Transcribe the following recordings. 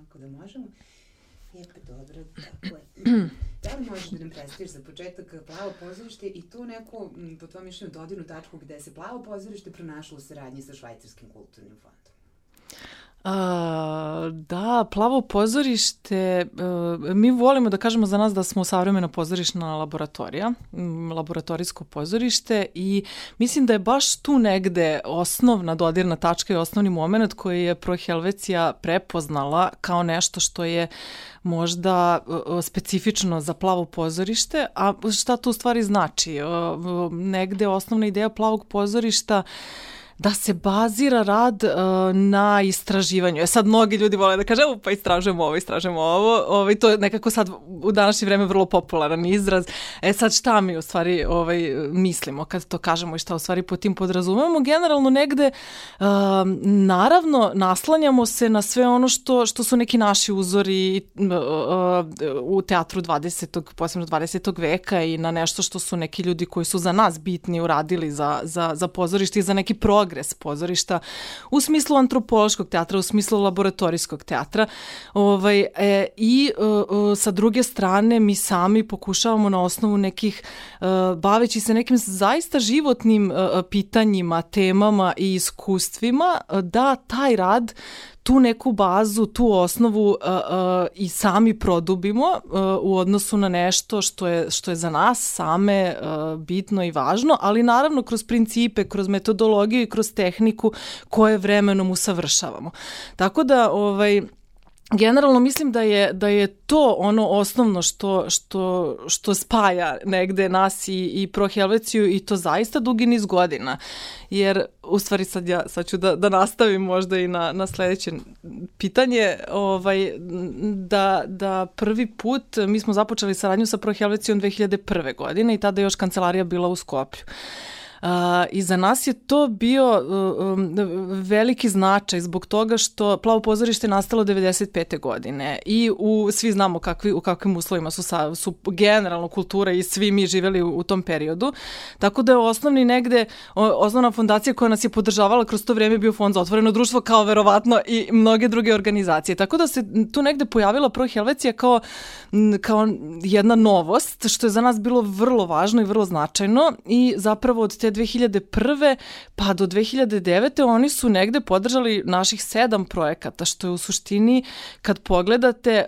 Ako da možemo. Pa dobro, tako je. Da li možeš da nam predstaviš za početak Plavo pozorište i tu neku, po tvojom mišljenju, dodirnu tačku gde se Plavo pozorište pronašlo u saradnji sa Švajcarskim kulturnim fondom? Da, Plavo pozorište, mi volimo da kažemo za nas da smo savremena pozorišna laboratorija, laboratorijsko pozorište i mislim da je baš tu negde osnovna dodirna tačka i osnovni moment koji je Pro Helvecija prepoznala kao nešto što je možda specifično za Plavo pozorište, a šta to u stvari znači? Negde osnovna ideja Plavog pozorišta da se bazira rad na istraživanju. Sad mnogi ljudi vole da kaže, pa istražujemo ovo. To je nekako sad u današnje vreme vrlo popularan izraz. Sad šta mi u stvari mislimo kad to kažemo i šta u stvari po tim podrazumemo? Generalno negde, naravno, naslanjamo se na sve ono što su neki naši uzori u teatru 20. posebno 20. veka i na nešto što su neki ljudi koji su za nas bitni uradili za pozorište i za neki progres pozorišta u smislu antropološkog teatra, u smislu laboratorijskog teatra. I sa druge strane mi sami pokušavamo na osnovu nekih, baveći se nekim zaista životnim pitanjima, temama i iskustvima, da taj rad, tu neku bazu, tu osnovu i sami produbimo u odnosu na nešto što je za nas same bitno i važno, ali naravno kroz principe, kroz metodologiju i kroz tehniku koje vremenom usavršavamo. Tako da generalno mislim da je to ono osnovno što spaja negde nas i Pro Helveciju i to zaista dugi niz godina. Jer u stvari sad ću da nastavim možda i na sledeće pitanje, da prvi put mi smo započeli saradnju sa Pro Helvecijom 2001. godine i tada je još kancelarija bila u Skoplju. I za nas je to bio veliki značaj zbog toga što Plavo pozorište je nastalo 95. godine i svi znamo u kakvim uslovima su generalno kultura i svi mi živjeli u tom periodu. Tako da je osnovna fondacija koja nas je podržavala kroz to vrijeme bio Fond za otvoreno društvo, kao verovatno i mnoge druge organizacije. Tako da se tu negde pojavila Pro Helvecija kao jedna novost, što je za nas bilo vrlo važno i vrlo značajno i zapravo od te 2001. pa do 2009. oni su negde podržali naših 7 projekata, što je u suštini, kad pogledate,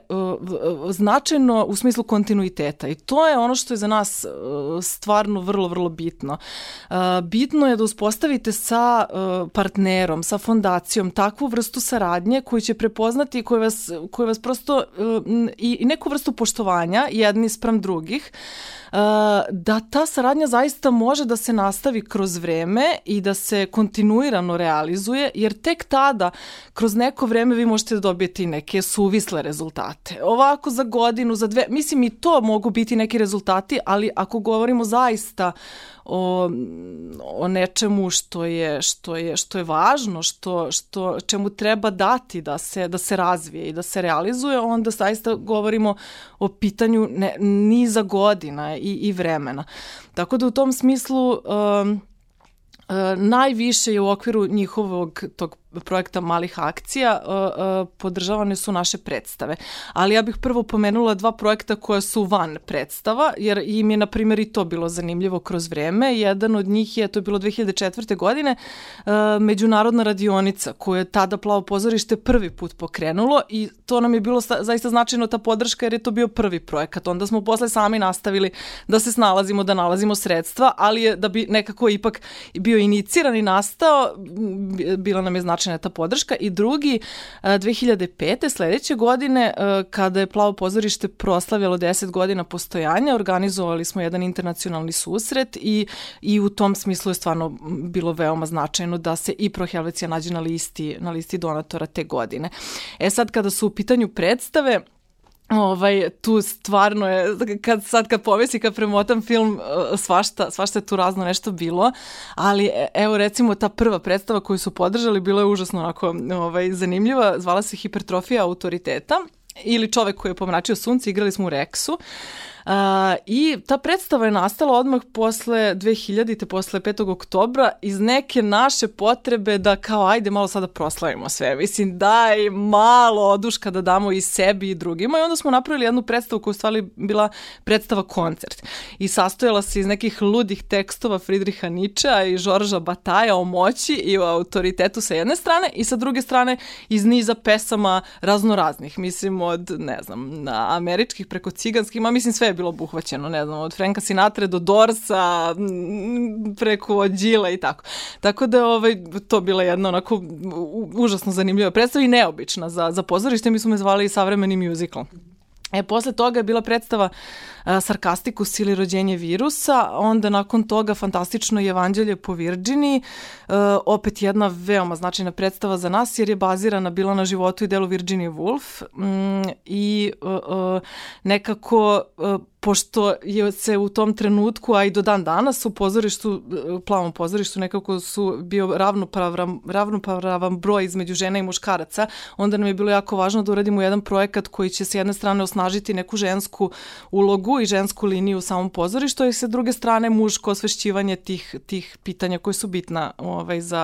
značajno u smislu kontinuiteta. I to je ono što je za nas stvarno vrlo, vrlo bitno. Bitno je da uspostavite sa partnerom, sa fondacijom takvu vrstu saradnje koju će prepoznati, koji vas prosto i neku vrstu poštovanja jedni spram drugih, da ta saradnja zaista može da se nastavi kroz vreme i da se kontinuirano realizuje, jer tek tada, kroz neko vreme, vi možete da dobijete i neke suvisle rezultate. Ovako za godinu, za 2, mislim i to mogu biti neki rezultati, ali ako govorimo zaista o nečemu što je važno, čemu treba dati da se razvije i da se realizuje, onda zaista govorimo o pitanju niza godina i vremena. Tako da u tom smislu najviše je u okviru njihovog tog projekta malih akcija podržavane su naše predstave. Ali ja bih prvo pomenula 2 projekta koja su van predstava, jer im je, na primjer, i to bilo zanimljivo kroz vreme. Jedan od njih to je bilo 2004. godine, međunarodna radionica, koju je tada Plavo pozorište prvi put pokrenulo i to nam je bilo zaista značajno, ta podrška, jer je to bio prvi projekat. Onda smo posle sami nastavili da se snalazimo, da nalazimo sredstva, ali je da bi nekako ipak bio iniciran i nastao, bila nam je značajna ta podrška. I drugi, 2005. sledeće godine, kada je Plavo pozorište proslavljalo 10 godina postojanja, organizovali smo jedan internacionalni susret i u tom smislu je stvarno bilo veoma značajno da se i Pro Helvecija nađe na listi donatora te godine. Sad kada su u pitanju predstave, tu stvarno je, kad povesi, kad premotam film, svašta je tu razno nešto bilo, ali evo recimo ta prva predstava koju su podržali bila je užasno onako zanimljiva, zvala se Hipertrofija autoriteta ili Čovek koji je pomračio sunce, igrali smo u Reksu. I ta predstava je nastala odmah posle 2000-te, posle 5. oktobra, iz neke naše potrebe da kao ajde malo sada proslavimo sve. Mislim, daj malo oduška da damo i sebi i drugima. I onda smo napravili jednu predstavu koja u stvari bila predstava koncert. I sastojala se iz nekih ludih tekstova Friedricha Nietzschea i Žorža Bataja o moći i o autoritetu sa jedne strane i sa druge strane iz niza pesama raznoraznih. Mislim, od, ne znam, američkih preko ciganskih, mislim sve je bilo obuhvaćeno, ne znam, od Franka Sinatra do Dorsa, preko Đila i tako. Tako da to bila jedna onako užasno zanimljiva predstava i neobična za pozorište. Mi smo je zvali savremeni musical. Posle toga je bila predstava Sarkastikus ili Rođenje virusa, onda nakon toga fantastično Evanđelje po Virginiji, opet jedna veoma značajna predstava za nas jer je bazirana bila na životu i delu Virginie Woolf i nekako pošto je se u tom trenutku, a i do dan danas u pozorištu, Plavom pozorištu nekako su bio ravnopravan broj između žena i muškaraca, onda nam je bilo jako važno da uradimo jedan projekat koji će s jedne strane osnažiti neku žensku ulogu i žensku liniju u samom pozorištu i sa druge strane muško osvešćivanje tih pitanja koje su bitna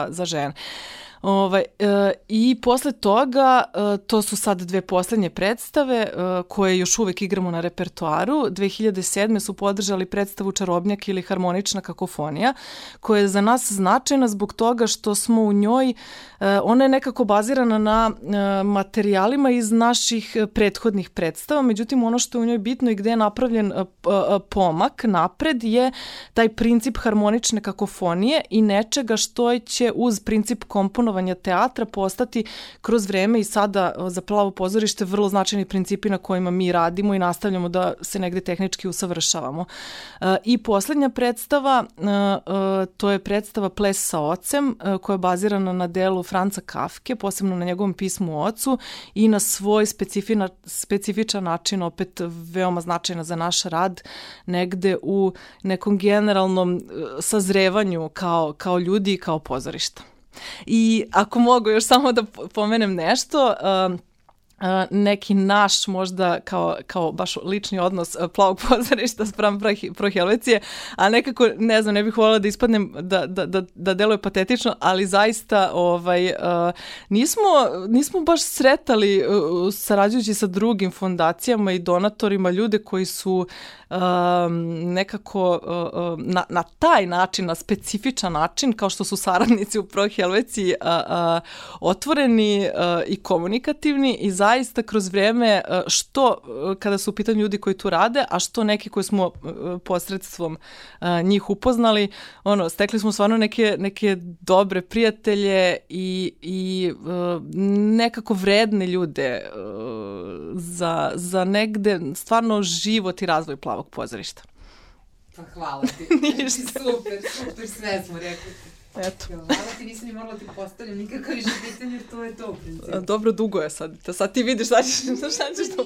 za žene. I posle toga, to su sad dve poslednje predstave koje još uvek igramo na repertoaru. 2007. su podržali predstavu Čarobnjak ili Harmonična kakofonija, koja je za nas značajna zbog toga što smo u njoj, ona je nekako bazirana na materijalima iz naših prethodnih predstava, međutim ono što je u njoj bitno i gde je napravljen pomak napred je taj princip harmonične kakofonije i nečega što će uz princip komponovanja teatra postati kroz vreme i sada za Plavo pozorište vrlo značajni principi na kojima mi radimo i nastavljamo da se negde tehnički usavršavamo. I poslednja predstava, to je predstava Ples sa ocem, koja je bazirana na delu Franca Kafke, posebno na njegovom pismu o ocu i na svoj specifičan način, opet veoma značajna za naš rad, negde u nekom generalnom sazrevanju kao ljudi i kao pozorišta. I ako mogu još samo da pomenem nešto, neki naš možda kao baš lični odnos Plavog pozorišta spram Prohelvecije, a nekako, ne znam, ne bih voljela da ispadnem da deluje patetično, ali zaista nismo baš sretali sarađujući sa drugim fondacijama i donatorima ljude koji su nekako na taj način, na specifičan način, kao što su saradnici u Prohelveciji, otvoreni i komunikativni i zaista kroz vreme, što kada su u pitanju ljudi koji tu rade, a što neki koji smo posredstvom njih upoznali, stekli smo stvarno neke dobre prijatelje i nekako vredne ljude za negde stvarno život i razvoj Plavog pozorišta. Pa hvala ti. Super, sve smo rekli. Eto. Hvala ti, nisam ni morala ti postavljam nikakav više pitanje, jer to je to u principu. Dobro, dugo je sad. Sad ti vidiš šta ćeš to